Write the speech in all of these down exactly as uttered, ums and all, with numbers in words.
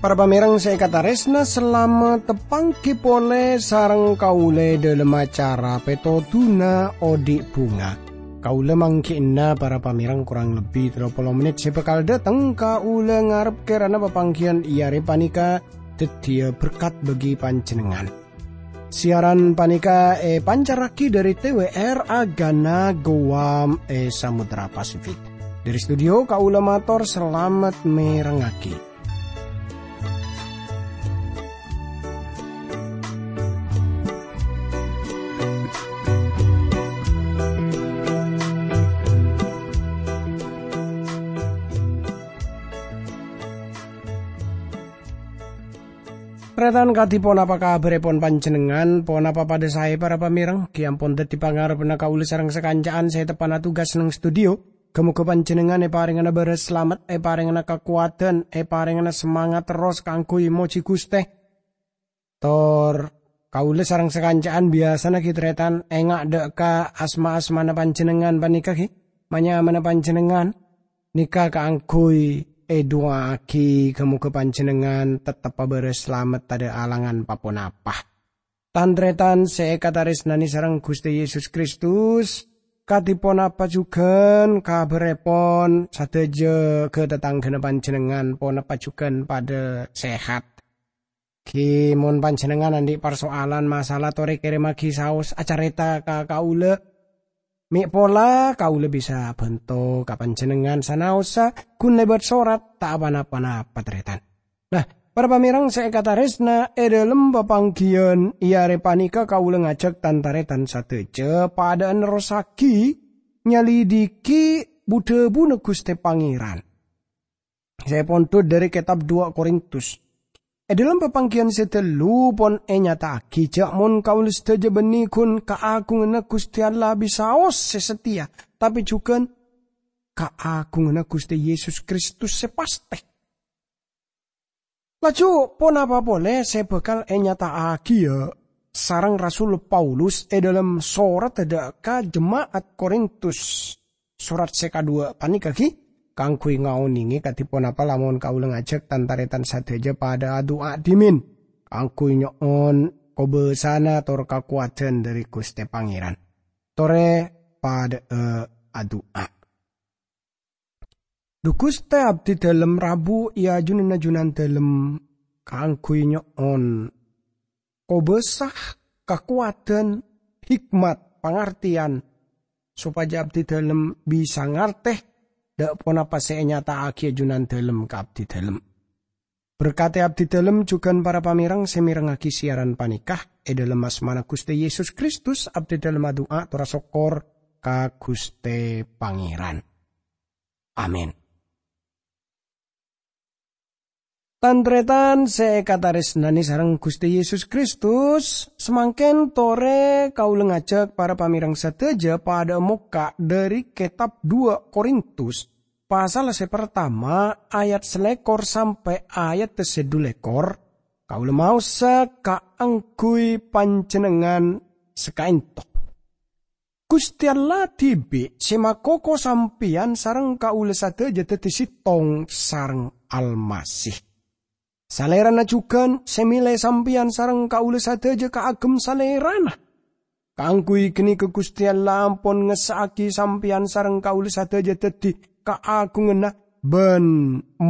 Para pamèrèng sè èkatarèsna, salamet tapanggi polè sareng kaulâ è dhâlem acara Pètodhuna Odi' Bhunga. Kaulâ mangghi'na para pamèrèng korang lebbi tello polo mennit sè bhâkal dhâteng. Kaulâ ngarep kèrana papangghiyân è arè panèka dhâddhiyâ berkat bagi panjhennengngan. Siaran panèka èpancarraghi dhâri T W R Agana Guam è Samudra Pasifik. Dhâri studio, kaulâ mator salamet mèrengngaghi. Tarètan, kadhi ponapa kabhârèpon panjhennengngan? Ponapa padâ saè, para pamèrèng? Ghi ampon dhâddhi pangarebbhânna kaulâ sareng sakanca'an sè teppa'na tugas neng studio. Ghâ-moghâ panjhennengngan èparèngana bârâs salamet, èparèngana kakowadhân, èparèngana samangat terros kaangghuy mojhi Ghustè. Tor kaulâ sareng sakanca'an biyasana ghi tarètan enga' dhâ' ka asma-asmana panjhennengngan panèka ghi, ma-nyamana panjhennengngan nèka kaangghuy èdu'aaghi, ghâ-moghâ panjhennengngan tettep abârâs salamet, tadhâ' alangan pa-ponapa. Tan-tarètan sè èkatarèsnanè sareng Ghustè Yesus Kristus, kadhi ponapa jhughân kabhârèpon sadhâjâ ghâ-tatangghâna panjhennengngan, ponapa jhughân padâ sehat? Ghi mon panjhennengngan andi' parsoalan masalah, torè kèrèmmaghi saos acarèta ka kaulâ. Mè' pola kaulâ bisa bhânto ka panjhennengngan sanaossa ghun lèbât sorat, ta' pa-napa-napa, tarètan. Nah, para pamèrèng sè èkatarèsna, è dhâlem papangghiyân è arè panèka kaulâ ngajhâk tan-tarètan sadhâjâ padâ'â nerrossaghi nyalidhighi bu-dhâbuna Ghustè Pangèran sè èpondhut dhâri kètab Duwâ' Korintus. È dhâlem papangghiyân sè ghâllu pon ènyata'aghi jhâ' mon kaulâ sadhâjâ bânnè ghun kaagunganna Ghustè Allah bisaos sè satèya, tapè jhughân kaagunganna Ghustè Yesus Kristus sè pastè. Laju ponapa polè sè bhâkal ènyata'aghiyâ sareng Rasul Paulus è dhâlem soratta dhâ' ka jema'at Korintus? Sorat sè kaduwâ' panèka ghi kaangghuy ngaonèngè kadhi ponapa lamon kaulâ ngajhâk tan-tarètan sadhâjâ padâ adu'a dhimèn, kaangghuy nyo'on kobâsana tor kakowadhân dhâri Ghustè Pangèran. Torè padâ'â adu'a. Dhu Ghustè, abdhidhâlem rabu è ajunanna Junandhâlem kaangghuy nyo'on kobâsa, kakowadhân, hikmat, pangartèyan, sopajâ abdhidhâlem bisa ngartè dhâ' ponapa sè ènyata'aghiyâ Junandhâlem ka abdhidhâlem. Berkadhi abdhidhâlem jhughân para pamèrèng sè mèrengngaghi siaran panèka. È dhâlem asmana Ghustè Yesus Kristus, abdhidhâlem adu'a tor asokkor ka Ghustè Pangèran. Amin. Tan-tarètan sè èkatarèsnanè sareng Ghustè Yesus Kristus, samangkèn torè kaulâ ngajhâk para pamèrèng sadhâjâ padâ'â mokka' dhâri kètab Duwâ' Korintus, pasal sè partama, ayat salèkor sampè' ayat sè dhulèkor, kaulâ maosa kaangghuy panjhennengngan sakaènto. Ghustè Allah dhibi' sè makoko sampèyan sareng kaulâ sadhâjâ dhâddhi sèttong sareng Almasih. Salèrana jhughân sè mèlè sampèyan sareng kaulâ sadhâjâ kaagem Salèrana. Kaangghuy ghânèka Ghustè Allah ampon ngessa'aghi sampèyan sareng kaulâ sadhâjâ dhâddhi kaagunganna bân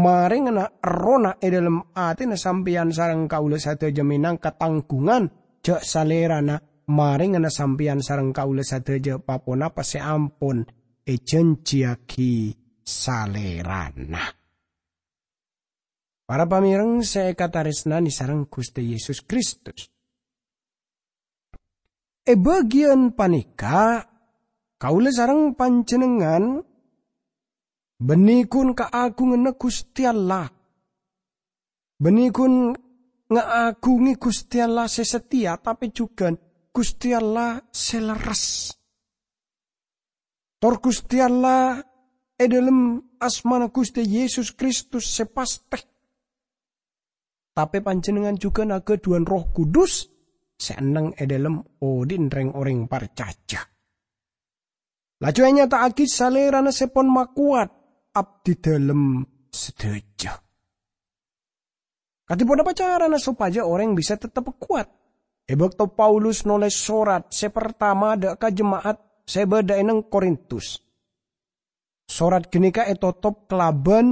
marèngana Errohna è dhâlem atèna sampèyan sareng kaulâ sadhâjâ mènangka tangghungan jhâ' Salèrana marèngana sampèyan sareng kaulâ sadhâjâ pa-ponapa sè ampon èjhânjhiyaghi Salèrana. Para pamèrèng sè èkatarèsnanè sareng Ghustè Yesus Kristus. È bâgiyân panèka, kaulâ sareng panjhennengngan bânnè ghun kaagunganna Ghustè Allah. Bânnè ghun ngaagungi Ghustè Allah sè satèya, tapè jhughân Ghustè Allah sè lerres. Tor Ghustè Allah è dhâlem asmana Ghustè Yesus Kristus sè pastè. tapè panjhennengngan jhughân aghâdhuwân Erroh Kudus sè enneng è dhâlem odi'na rèng-orèng parcajâ. Laju ènyata'aghi Salèrana sè pon makowat abdidhâlem sadhâjâ. Kadhi ponapa carana sopajâ orèng bisa tettep kowat? È bâkto Paulus nolès sorat sè partama dâ' ka jema'at sè bâdâ è neng Korintus, sorat ghânèka ètotop kalabân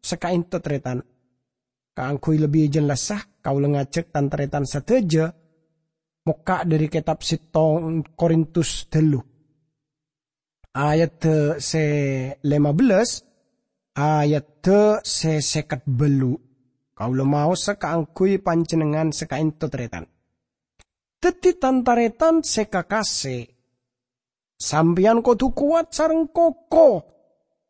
sakaènto, tarètan. Kaangghuy lebbi jellassa, kaulâ ngajhâk tan-tarètan sadhâjâ mokka' dhâri kètab sèttong Korintus tello, ayadda sè lèma bellâs, ayadda sè sèket bâllu'. Kaulâ maosa kaangghuy panjhennengngan sakaènto, tarètan. Dhâddhi, tan-tarètan sè kakasè, sampèyan kodhu kowat sareng koko.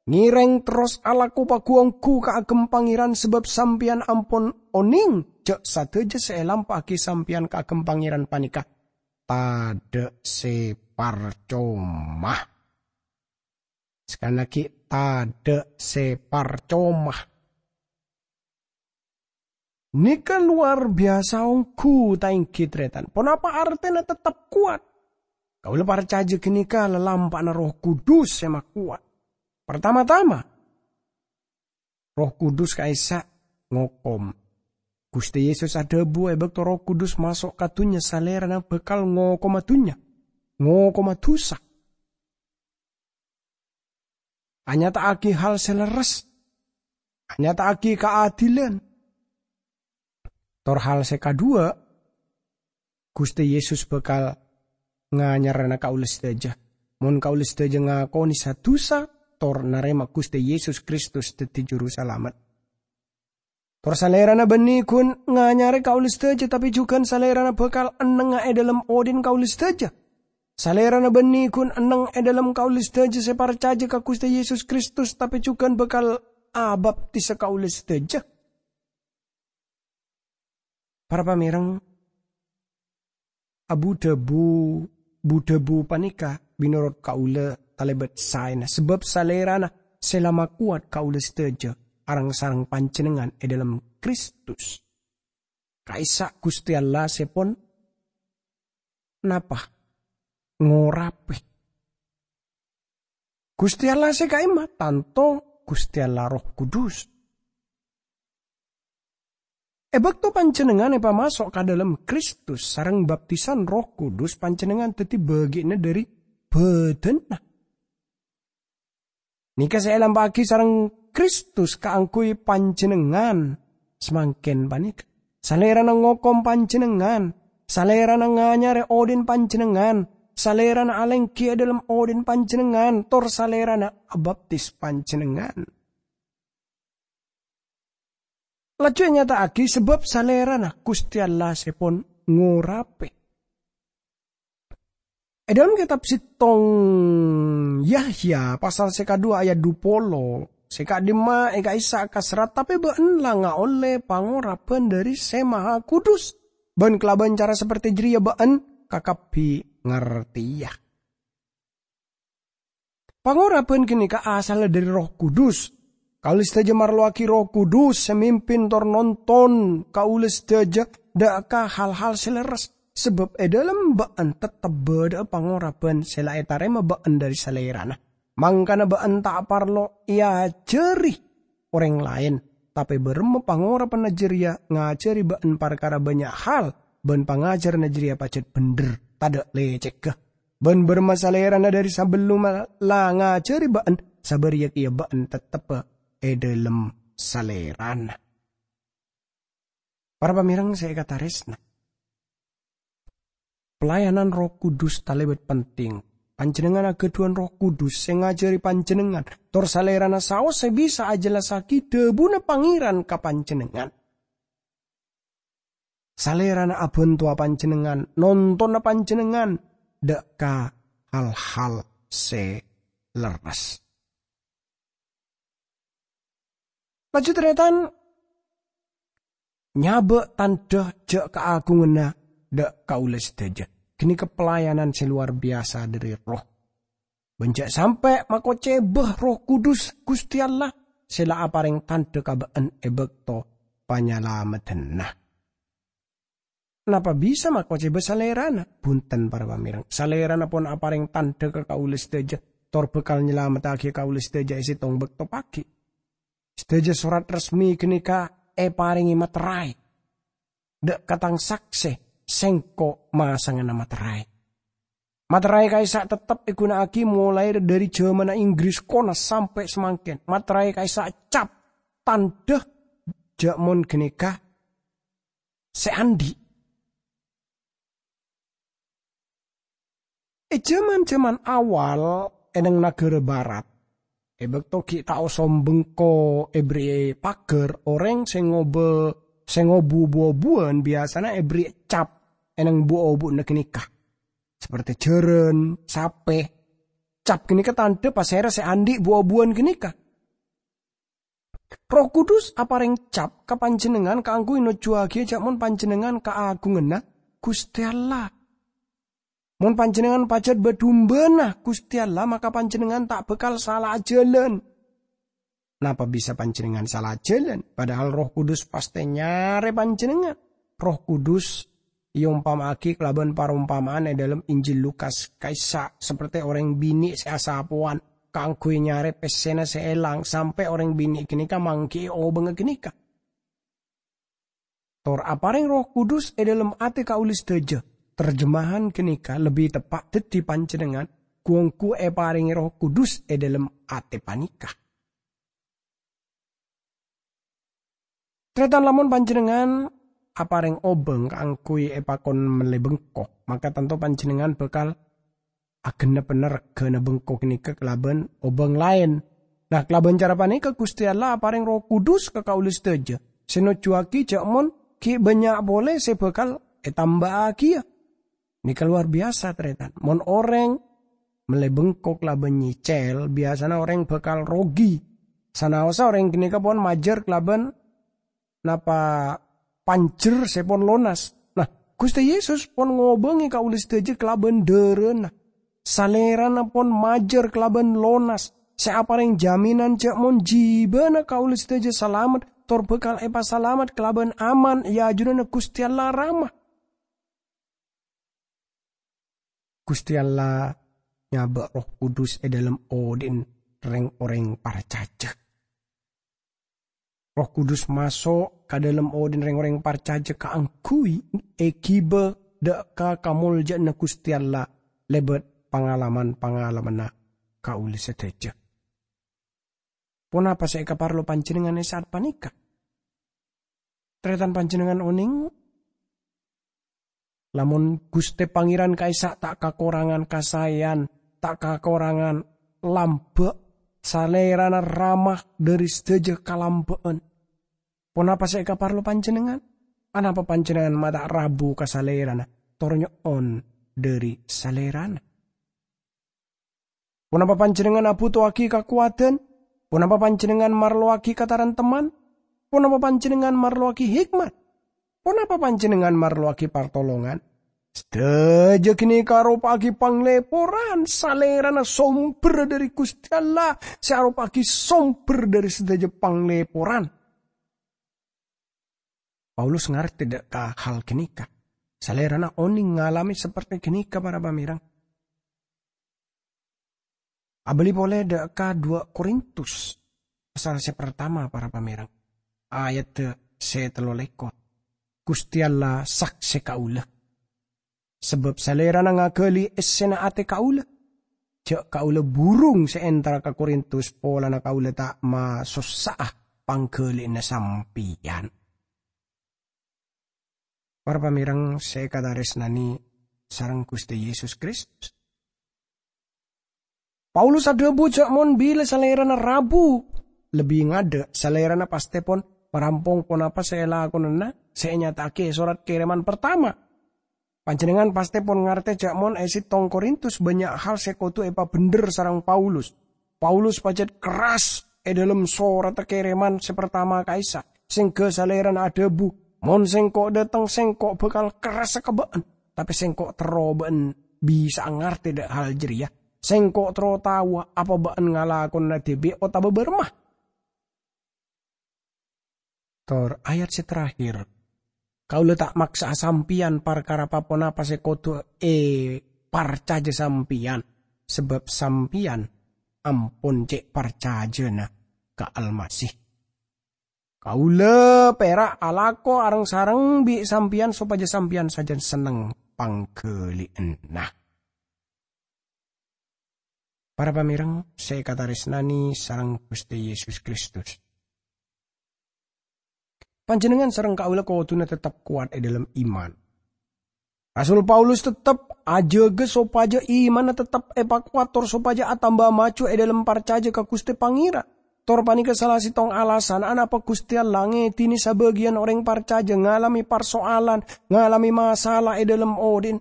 Ngèrèng terros alako pagu-ongghu kaagem Pangèran, sabâb sampèyan ampon onèng jâ' sadhâjâ sè èlampa'aghi sampèyan kaagem Pangèran panèka tadâ' sè parcoma. Sakalè aghi', tadâ' sè parcoma. Nèka lowar biyasa ongghu, ta' ènggi, tarètan? Ponapa artèna tettep kowat? Kaulâ parcajâ ghânèka lalampa'na Erroh Kudus sè makowat. Partama-tama, Erroh Kudus ka'issa' ngokom. Ghustè Yesus adhâbu, è bâkto Erroh Kudus maso' ka dhunnya, Salèrana bhâkal ngokoma dhunnya, ngokoma dhusa. Anyata'aghi hal sè lerres, anyata'aghi kaadilan. Tor hal sè kaduwâ', Ghustè Yesus bhâkal nganyarana kaulâ sadhâjâ, mon kaulâ sadhâjâ ngakonè sa-dhusa tor narèma Ghustè Yesus Kristus dhâddhi Jurusalamet. Tor Salèrana bânnè ghun nganyarè kaulâ sadhâjâ, tapè jhughân Salèrana bhâkal ennengnga è dhâlem odi'na kaulâ sadhâjâ. Salèrana bânnè ghun enneng è dhâlem kaulâ sadhâjâ sè parcajâ ka Ghustè Yesus Kristus, tapè jhughân bhâkal abaptisa kaulâ sadhâjâ. Para pamèreng, abu-dhâbu, bu-dhâbu panèka mènorot kaulâ talèbât saèna, sabâb Salèrana sè la makowat kaulâ sadhâjâ areng-sareng panjhennengngan è dhâlem Kristus. Ka'issa' Ghustè Allah sè pon napa? Ngorapè. Ghustè Allah sè ka'imma? Tanto Ghustè Allah Erroh Kudus. È bâkto panjhennengngan èpamaso' ka dhâlem Kristus sareng baptisan Erroh Kudus, panjhennengngan dhâddhi bâgi'na dhâri bhâdhânna. Nèka sè èlampa'aghi sareng Kristus kaangghuy panjhennengngan samangkèn panèka. Salèrana ngokom panjhennengngan, Salèrana nganyarè odi'na panjhennengngan, Salèrana alèngghi è dhâlem odi'na panjhennengngan, tor Salèrana abaptis panjhennengngan. Laju ènyata'aghi sabâb Salèrana Ghustè Allah sè pon ngorapè. È dhâlem kètab sèttong Yahya pasal sè kaduwâ' ayat dhu polo, sè ka'dimma è ka'issa' kaserrat, "Tapè bâ'na la ngaollè pangorabhân dhâri Sè Maha Kudus, bân kalabân cara saperte jârèya bâ'na kakabbhi ngartèya." Pangorabhân ghânèka asalla dhâri Erroh Kudus. Kaulâ sadhâjâ marlowaghi Erroh Kudus sè mimpin tor nonton kaulâ sadhâjâ dâ' ka hal-hal sè lerres, sabâb è dhâlem bâ'na tettep bâdâ'â pangorabhân sè la ètarèma bâ'na dhâri Salèrana. Mangkana bâ'na ta' parlo èajhâri orèng laèn, tapè bârâmma pangorabhânna jârèya ngajhâri bâ'na parkara bânnya' hal, bân pangajhârânna jârèya pajhât bhendher, tadâ' lècègghâ. Bân bârâmma Salèrana dhâri sabellunna la ngajhâri bâ'na, sabâriyâ kèya bâ'na tettebbhâ è dhâlem Salèrana. Para pamèreng sè èkatarèsna, pelayanan Erroh Kudus talèbât penting. Panjhennengngan aghâdhuwân Erroh Kudus sè ngajhâri panjhennengngan, tor Salèrana saos sè bisa ajhellassaghi dhâbuna Pangèran ka panjhennengngan. Salèrana abhântowa panjhennengngan, nontonna panjhennengngan dâ' ka hal-hal sè lerres. Laju tarètan, nyabâ' tandhâ jhâ' kaagunganna dâ' kaulâ sadhâjâ. Ghânèka pelayanan sè lowar biyasa dhâri Erroh. Bân jhâ' sampè' makocèbhâ Erroh Kudus Ghustè Allah sè la aparèng tandhâ ka bâ'na è bâkto panyalameddhânna. Napa bisa makocèba Salèrana? Bhunten, para pamèreng. Salèrana pon aparèng tandhâ ka kaulâ sadhâjâ, tor bhâkal nyalamettaghi kaulâ sadhâjâ è sèttong bâkto paghi'. Sadhâjâ sorat resmi ghânèka èparèngè matèraè. Dâ' ka tang saksè, sèngko' masangana matèraè. Matèraè ka'issa' tettep èghuna'aghi molaè dhâri jhâmanna Inggris kona sampè' samangkèn. Matèraè ka'issa' cap tandhâ jhâ' mon ghânèka sè andi'. È jhâman-jhâman awal è neng naghârâ Barat, è bâkto ghi' ta' osom bengko èberri'i paghâr, orèng sè ngobâ-, sè ngobu bu-obuwân biyasana èberri' cap è neng bu-obuwânna ghânèka, saperte jhârân, sapè. Cap ghânèka tandhâ pasèra sè andi' bu-obuwân ghânèka. Erroh Kudus aparèng cap ka panjhennengngan kaangghuy nojjhuwaghi jhâ' mon panjhennengngan kaagunganna Ghustè Allah. Mon panjhennengngan pajhât bâ-dumbâna Ghustè Allah, maka panjhennengngan ta' bhâkal sala ajhâlân. Napa bisa panjhennengngan sala ajhâlân, padahal Erroh Kudus pastè nyarè panjhennengngan? Erroh Kudus èompama'aghi kalabân parompama'an è dhâlem Injil Lukas, ka'issa' saperte orèng binè' sè asapowan kaangghuy nyarè pèssèna sè èlang, sampè' orèng binè' ghânèka mangghi'i obângnga ghânèka. Tor aparèng Erroh Kudus è dhâlem atè kaulâ sadhâjâ. Terjemahan ghânèka lebbi teppa' dhâddhi panjhennengngan ghu-ongghu èparèngè Erroh Kudus è dhâlem atè panèka. Tarètan, lamon panjhennengngan aparèng obâng kaangghuy èpakon mellè bengko, maka tanto panjhennengngan bhâkal aghenneppa règhâna bengko ghânèka kalabân obâng laèn. Nah, kalabân cara panèka Ghustè Allah aparèng Erroh Kudus ka kaulâ sadhâjâ, sè nojjhuwaghi jhâ' mon ghi' bânnya' polè sè bhâkal ètambâ'âghiyâ. Nèka lowar biyasa, tarètan. Mon orèng mellè bengko kalabân nyècèl, biyasana orèng bhâkal rogi. Sanaossa orèng ghânèka pon majâr kalabân napa panjher sè pon lonas. Nah, Ghustè Yesus pon ngobângè kaulâ sadhâjâ kalabân dhârâna. Salèrana pon majâr kalabân lonas, sè aparèng jaminan jhâ' mon jhibâna kaulâ sadhâjâ salamet, tor bhâkal èpasalamet kalabân aman è ajunanna Ghustè Allah Rama. Ghustè Allah nyabâ' Erroh Kudus è dhâlem odhi'na rèng-orèng parcajâ. Erroh Kudus maso' ka dhâlem odhi'na rèng-orèng parcajâ kaangghuy èghibâ dâ' ka kamoljâ'ânna Ghustè Allah lèbât pangalaman-pangalamanna kaulâ sadhâjâ. Ponapa sè èkaparlo panjhennengngan è sa'at panèka? Tarètan, panjhennengngan onèng, lamon Ghustè Pangèran ka'issa' ta' kakorangan kasaèyan, ta' kakorangan lambâ', Salèrana rama dhâri sadhâjâ kalambâ'ân. Ponapa sè èkaparlo panjhennengngan? Anapa panjhennengngan ma' ta' rabu ka Salèrana, tor nyo'on dhâri Salèrana? Ponapa panjhennengngan abhuto'aghi kakowadhân? Ponapa panjhennengngan marlowaghi katarèmtemman? Ponapa panjhennengngan marlowaghi hikmat? Ponapa panjhennengngan marlowaghi partolongan? Sadhâjâ ghânèka aropa'aghi panglèporan. Salèrana sombher dhâri Ghustè Allah, sè aropa'aghi sombher dhâri sadhâjâ panglèporan. Paulus ngartè dâ' ka hal ghânèka. Salèrana onèng ngalamè saperte ghânèka, para pamèreng. Abâli polè dâ' ka duwâ' Korintus, pasal sè partama, para pamèreng, ayadda sè tello lèkor. Ghustè Allah saksè kaulâ. Sabâb Salèrana ngaghâli essèna atè kaulâ. Jhâ' kaulâ burung sè entara ka Korintus polana kaulâ ta' masossa'a pangghâli'ânna sampèyan. Para pamèreng sè èkatarèsnanè sareng Ghustè Yesus Kristus. Paulus adhâbu jhâ' mon bilâ Salèrana rabu, lebbi ngadâ' Salèrana pastè pon marampong ponapa sè èlakonana sè ènyata'aghi è sorat kèrèman partama. Panjhennengngan pastè pon ngartè jhâ' mon è sèttong Korintus bânnya' hal sè kodhu èpabhendher sareng Paulus. Paulus pajhât kerras è dhâlem soratta kèrèman sè partama ka'issa', sèngghâ Salèrana adhâbu, "Mon Sèngko' dâteng, Sèngko' bhâkal kerrassa ka bâ'ân, tapè Sèngko' terro bâ'ân bisa'a ngartè dâ' hal jârèya. Sèngko' terro taowa apa bâ'ân ngalakonana dhibi' otabâ bârâmma." Tor ayat sè terakhir, "Kaulâ ta' maksa'a sampèyan parkara pa-ponapa sè kodhu èparcajâ sampèyan, sabâb sampèyan ampon cè' parcajâna ka Almasih. Kaulâ pèra' alako areng-sareng bi' sampèyan sopajâ sampèyan sajân senneng pangghâli'ânna." Para pamèreng sè èkatarèsnanè sareng Ghustè Yesus Kristus. Panjhennengngan sareng kaulâ kodhuna teptep kowat è dhâlem iman. Rasul Paulus teptep ajâgâ sopajâ imanna teptep èpakowat tor sopajâ atamba maju è dhâlem parcajâ ka Ghustè Pangèran. Tor panèka sala sèttong alasan anapa Ghustè Allah ngèdinè sabâgiyân orèng parcajâ ngalamè parsoalan, ngalamè masala è dhâlem odhi'na.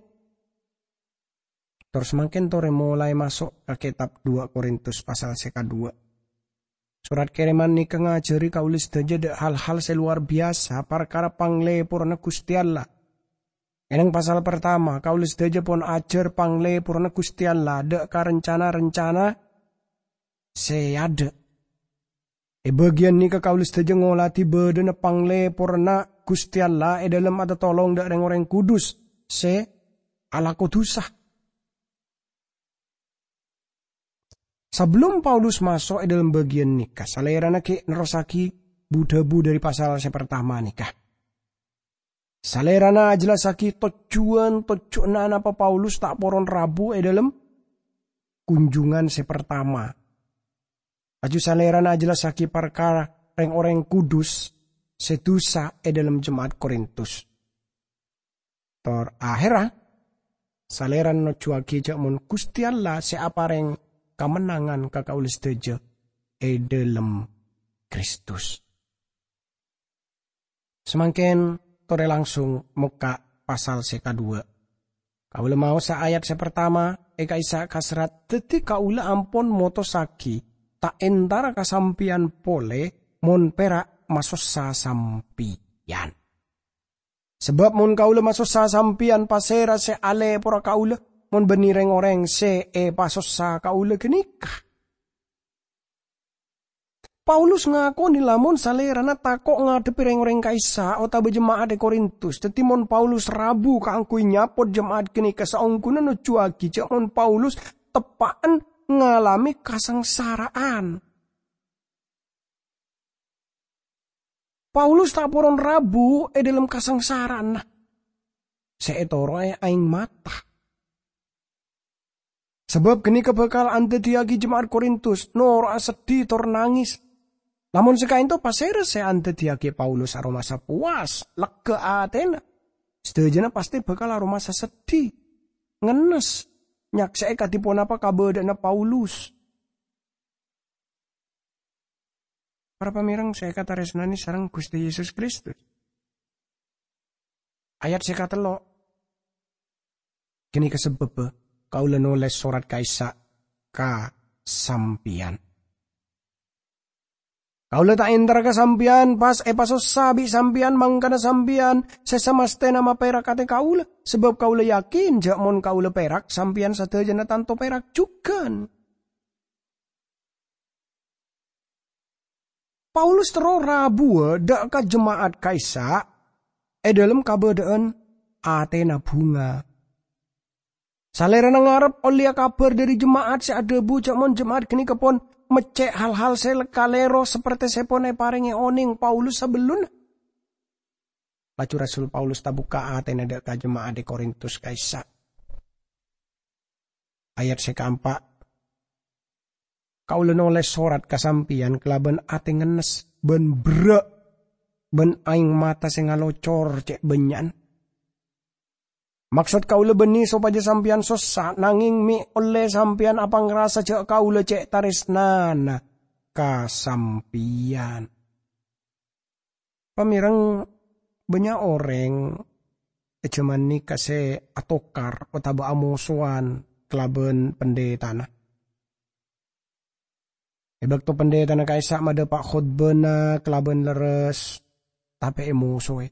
Tor samangkèn torè molaè maso' ka kètab dua Korintus pasal sè kaduwâ'. Sorat kèrèman nèka ngajhâri kaulâ sadhâjâ dhâ' hal-hal sè lowar biyasa parkara panglèporra Ghustè Allah. È nèng pasal partama, kaulâ sadhâjâ pon ajhâr panglèporra Ghustè Allah dhâ' ka rencana-rencana sè adâ'. È bâgiyân nèka kaulâ sadhâjâ ngolatè bâdâna panglèporra Ghustè Allah è dhâlem atatolong dhâ' rèng-orèng kudus sè alako dhusa. Sabellunna Paulus maso' è dhâlem bâgiyân nèka, salèrana ghi' nerrossaghi bu-dhâbu dhâri pasal sè partama nèka. Salèrana ajhellassaghi tojjhuwân-tojjhuwânna anapa Paulus ta' poron rabu è dhâlem kunjungan sè partama. Laju salèrana ajhellassaghi parkara rèng-orèng kudus sè dhusa è dhâlem jema'at Korintus. Tor aherra, salèrana nojjhuwâghi jâ' mon Ghustè Allah sè aparèng kamennangan ka kaulâ sadhâjâ è dhâlem Kristus. Samangkèn torè langsung mokka' pasal sè kaduwâ'. Kaulâ maosa ayat sè partama è ka'issa' kaserrat, dhâddhi kaulâ ampon motossaghi ta' entara ka sampèyan polè mon pèra' masossa sampèyan. Sabâb mon kaulâ masossa sampèyan, pasèra sè alèporra kaulâ mon bânnè rèng-orèng sè èpasossa kaulâ ghânèka? Paulus ngakonè lamon salèrana tako' ngadhebbhi rèng-orèng ka'issa' otabâ jema'at è Korintus. Dhâddhi, mon Paulus rabu kaangghuy nyapot jema'at ghânèka, saongghuna nojjhuwâghi jâ' mon Paulus teppa'en ngalamè kasangsara'an. Paulus ta' poron rabu è dhâlem kasangsara'anna sè ètoro'è aèng mata. Sabâb ghânèka bhâkal andhâddhiyâghi jema'at Korintus noro'a seddhi tor nangès. Lamon sè ka'ènto, pasèra sè andhâddhiyâghi Paulus aromasa powas, lega atèna? Sadhâjâna pastè bhâkal aromasa seddhi, ngennes, nyaksè'è kadhi ponapa kabâdâ'ânna Paulus. Para pamèreng sè èkatarèsnanè sareng Ghustè Yesus Kristus. Ayat sè katello'. Ghânèka sabâbbhâ kaulâ nolès sorat ka'issa' ka sampèyan. Kaulâ ta' entara ka sampèyan pas èpasossa bi' sampèyan, mangkana sampèyan sè samastèna mapèrak atè kaulâ, sabâb kaulâ yakin jâ' mon kaulâ pèrak, sampèyan sadhâjâna tanto pèrak jhughân. Paulus terro rabuwâ dâ' ka jema'at ka'issa' è dhâlem kabâdâ'ân atèna bhunga. Salèrana ngarep ollèya kabhâr dhâri jema'at sè adhâbu jâ' mon jema'at ghânèka pon meccè' hal-hal sè kalèro saperte sè pon èparèngè onèng Paulus sabellunna. Laju Rasul Paulus tabukka' atèna dâ' ka jema'at è Korintus ka'issa'. Ayat sè kaempa', "Kaulâ nolès sorat ka sampèyan kalabân atè ngennes bân berrâ', bân aèng mata sè ngalocor cè' bânnya'an. Maksod kaulâ bânnè sopajâ sampèyan sossa, nangèng mè' ollè sampèyan apangrasa jâ' kaulâ cè' tarèsnana ka sampèyan." Pamèreng, bânnya' orèng è jhâman nèka sè atokar otabâ amosowan kalabân pandhitana. È bâkto pandhitana ka'issa' madhâpa' khotbâna kalabân lerres, tapè èmosoè.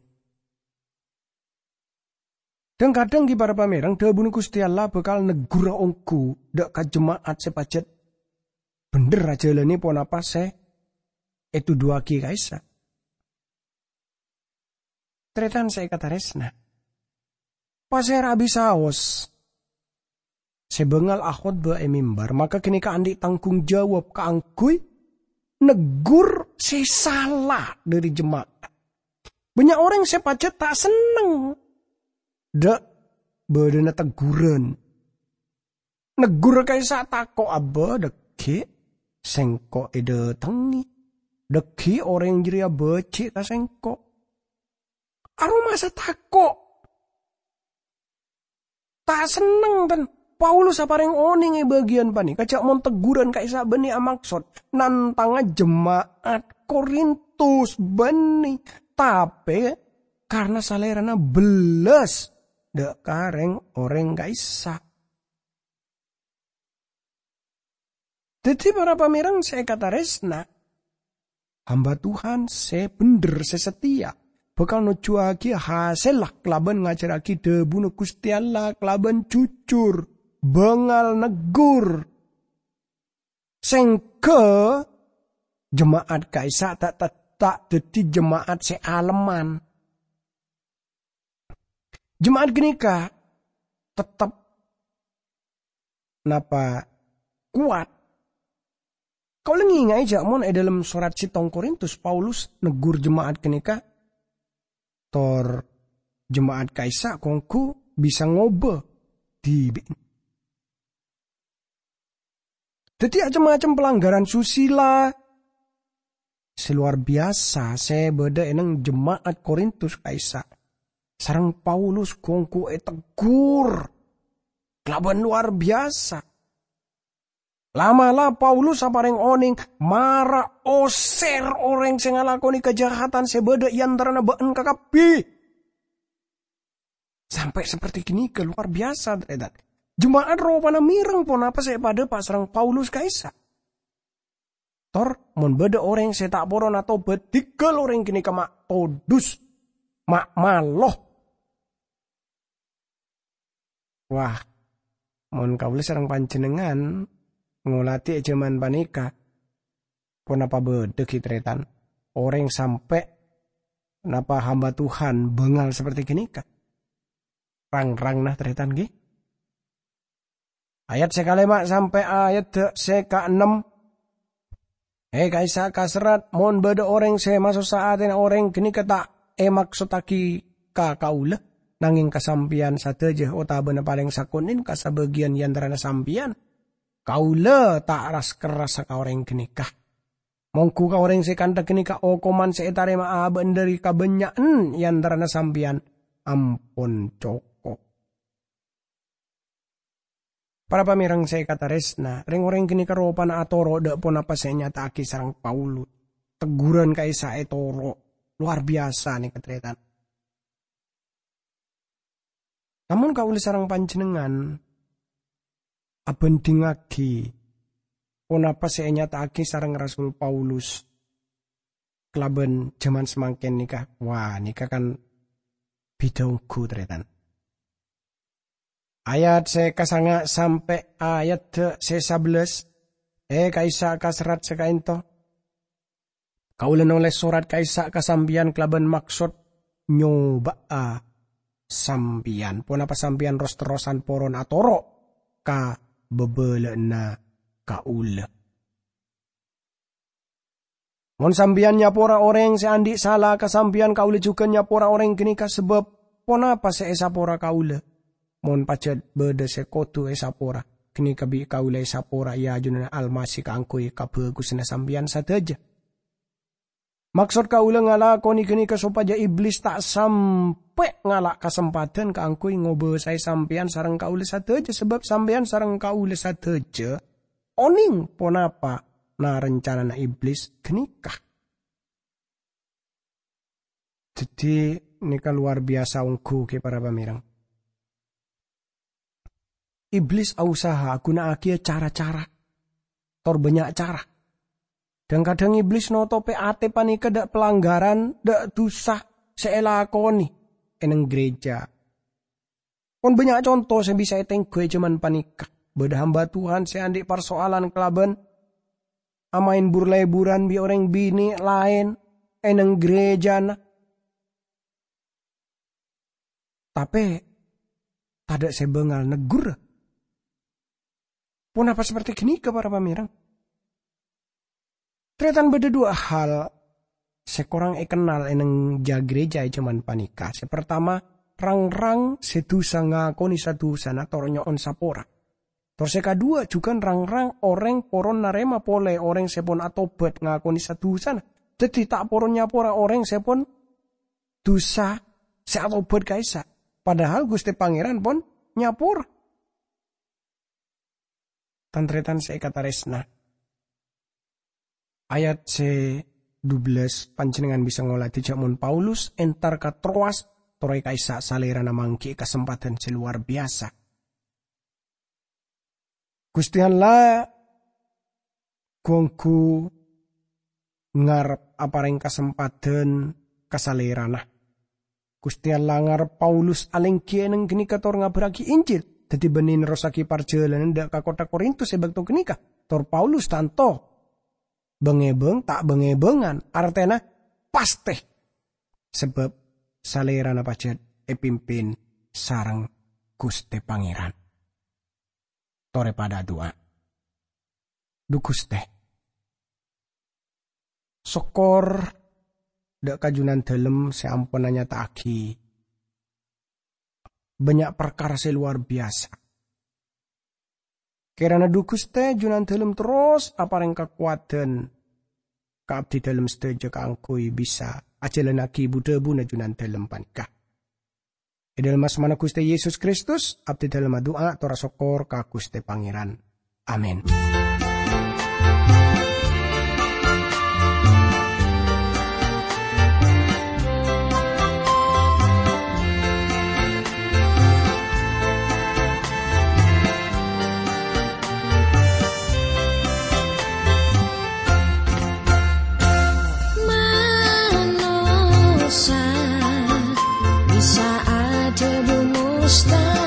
Dhâng-kadhâng ghi' para pamèreng, dhâbuna Ghustè Allah bhâkal negghurâ ongghu dâ' ka jema'at sè pajhât bhendher ajhâlânè ponapa sè ètodhuwâghi ka'issa'. Tarètan sè èkatarèsna, pasèra abisaos sè bângal akhotbah è mimbar, maka ghânèka andi' tanggung jawab kaangghuy neggur sè sala dhâri jema'at. Bânnya' orèng sè pajhât ta' senneng dâ' bâdâna tegguran. Neggur ka'issa' tako' abâ, dhâggi' sèngko' èdâtengngè. Dhâggi' orèng jârèya bâji' ka sèngko'. Aromasa tako'. Ta' senneng, tan. Paulus aparèng onèng è bâgiyân panèka, jhâ' mon tegguran ka'issa' bânnè amaksod nantanga jema'at Korintus bânnè, tapè karna salèrana bellas dâ' ka rèng-orèng ka'issa'. Dhâddhi, para pamèreng sè èkatarèsna, hamba Tuhan sè bhendher, sè sateya, bhâkal nojjhuwâghi hasèlla kalabân ngajhârrâghi dhâbuna Ghustè Allah kalabân jujur, bângal neggur, sèngghâ jema'at ka'issa' ta', ta', ta' dhâddhi jema'at sè alemman. Jema'at ghânèka tettep napa kowat. Kaulâ ngènga'è jhâ' mon è dhâlem sorat sèttong Korintus, Paulus neggur jema'at ghânèka, tor jema'at ka'issa' ongghu bisa ngobâ dhibi'na. Dhâddhi, cem-macem pelanggaran susila sè lowar biyasa sè bâdâ è neng jema'at Korintus ka'issa', sareng Paulus ongghu èteggur kalabân lowar biyasa. La'-mala' Paulus aparèng onèng, "Mara osèr orèng sè ngalakonè kajahadhân sè bâdâ è antarana bâ'na kakabbhi." Sampè' saperti ghânèka, lowar biyasa, tarètan. Jema'at ropana mèreng ponapa sè èpadhâpa sareng Paulus ka'issa'. Tor, mon bâdâ orèng sè ta' poron atobhât, dhigghâl orèng ghânèka ma' todus, ma' malo. Wah, mon kaulâ sareng panjhennengngan ngolatè è jhâman panèka, ponapa bâdâ ghi' tarètan orèng sampè' napa hamba Tuhan bângal saperti ghânèka? Rang-rangna tarètan, ghi. Ayat sè kalèma' sampè' ayat sè kaennem. È ka'issa' kaserrat, mon bâdâ orèng sè masossa atèna orèng ghânèka ta' èmaksottaghi ka kaulâ, nangèng ka sampèyan sadhâjâ otabâna palèng sakonè' ka sabâgiyân è antarana sampèyan, kaulâ ta' ras-kerrassa ka orèng ghânèka. Mongghu ka orèng sè kantha ghânèka okoman sè ètarèma'a bâ'na dhâri kabânnya'an è antarana sampèyan ampon cokop. Para pamèreng sè èkatarèsna, rèng-orèng ghânèka ropana atoro' dâ' ponapa sè ènyata'aghi sareng Paulus. Tegguran ka'issa' ètoro', lowar biyasa nèka, tarètan. Namong kaulâ sareng panjhennengngan abhândhingngaghi ponapa sè ènyata'aghi sareng Rasul Paulus kalabân jhâman samangkèn nèka. Wah, nèka kan bhidhâ ongghu, tarètan. Ayat sè kasanga' sampè' ayat sè sabellâs, è ka'issa' kaserrat sè ka'ènto. Kaulâ nolès sorat ka'issa' ka sampèyan kalabân maksod nyoba'a sampèyan. Ponapa sampèyan ros-terrosan poron atoro' ka bhâbhâlâ'ânna kaulâ? Mon sampèyan nyapora orèng sè andi' sala ka sampèyan, kaulâ jhughân nyapora orèng ghânèka, sabâb ponapa sè èsapora kaulâ? Mon pajhât bâdâ sè kodhu èsapora, ghânèka bi' kaulâ èsapora è ajunanna Almasih kaangghuy kabhâghusânna sampèyan sadhâjâ. Maksod kaulâ ngalakonè ghânèka sopajâ Iblis ta' sampè' ngala' kasempadhân kaangghuy ngobâsaè sampèyan sareng kaulâ sadhâjâ, sabâb sampèyan sareng kaulâ sadhâjâ onèng ponapa na-, rancanana Iblis ghânèka. Dhâddhi, nèka lowar biyasa ongghu, ghi, para pamèreng. Iblis ausaha aghuna'aghiyâ cara-cara, tor bânnya' cara. Dhâng-kadhâng Iblis notopè atè panèka dâ' palanggaran, dâ' dhusa sè èlakonè è neng ghârèjâ. Pon bânnya' conto sè bisa ètèngghuwâ è jhâman panèka. Bâdâ hamba Tuhan sè andi' parsoalan kalabân amaèn bur-lèburân bi' orèng binè' laèn è neng ghârèjâna. Tapè tadâ' sè bângal negghurâ. Ponapa saperte ghânèka, para pamèreng? Tarètan bâdâ dua hal sè korang èkennal è neng ja-, gereja è jhâman panèka. Sè partama, rang-rang sè dhusa ngakonè sa-dhusana tor nyo'on sapora. Tor sè kaduwâ, jhughân rang-rang orèng poron narèma polè orèng sè pon atobhât ngakonè sa-dhusana. Dhâddhi ta' poron nyapora orèng sè pon dhusa sè atobhât ka'issa'. Padahal Ghustè Pangèran pon nyapora. Tan-tarètan sè èkatarèsna. Ayat sè dubellâs, panjhennengngan bisa ngolatè jhâ' mon Paulus entar ka Troas, torè ka'issa' salèrana mangghi'i kasempadhân sè lowar biyasa. Ghustè Allah ghu-ongghu ngarep aparèng kasempadhân ka salèrana. Ghustè Allah ngarep Paulus alèngghi è neng ghânèka tor ngabhârraghi Injil. Dhâddhi bânnè nerrossaghi parjhâlânan dâ' ka kottha Korintus è bâkto ghânèka. Tor Paulus tanto bâng-èbâng, ta' bâng-èbângan, artèna pastè. Sabâb salèrana pajhât èpimpin sareng Ghustè Pangèran. Torè padâ adu'a. Dhu Ghustè, sokkor dâ' ka Junandalem sè ampon anyata'aghi bânnya' parkara sè lowar biyasa. Kèrana dhu Ghustè Junandalem terros aparèng kakowadhân ka abdidalem sadhâjâ kaangghuy bisa ajhâlânnaghi bu-dhâbuna Junandalem panèka. È dâlem asmana Ghustè Yesus Kristus, abdidalem adu'a tor asokkor ka Ghustè Pangèran. Amin. Manossa bisa adhâbu mustahil.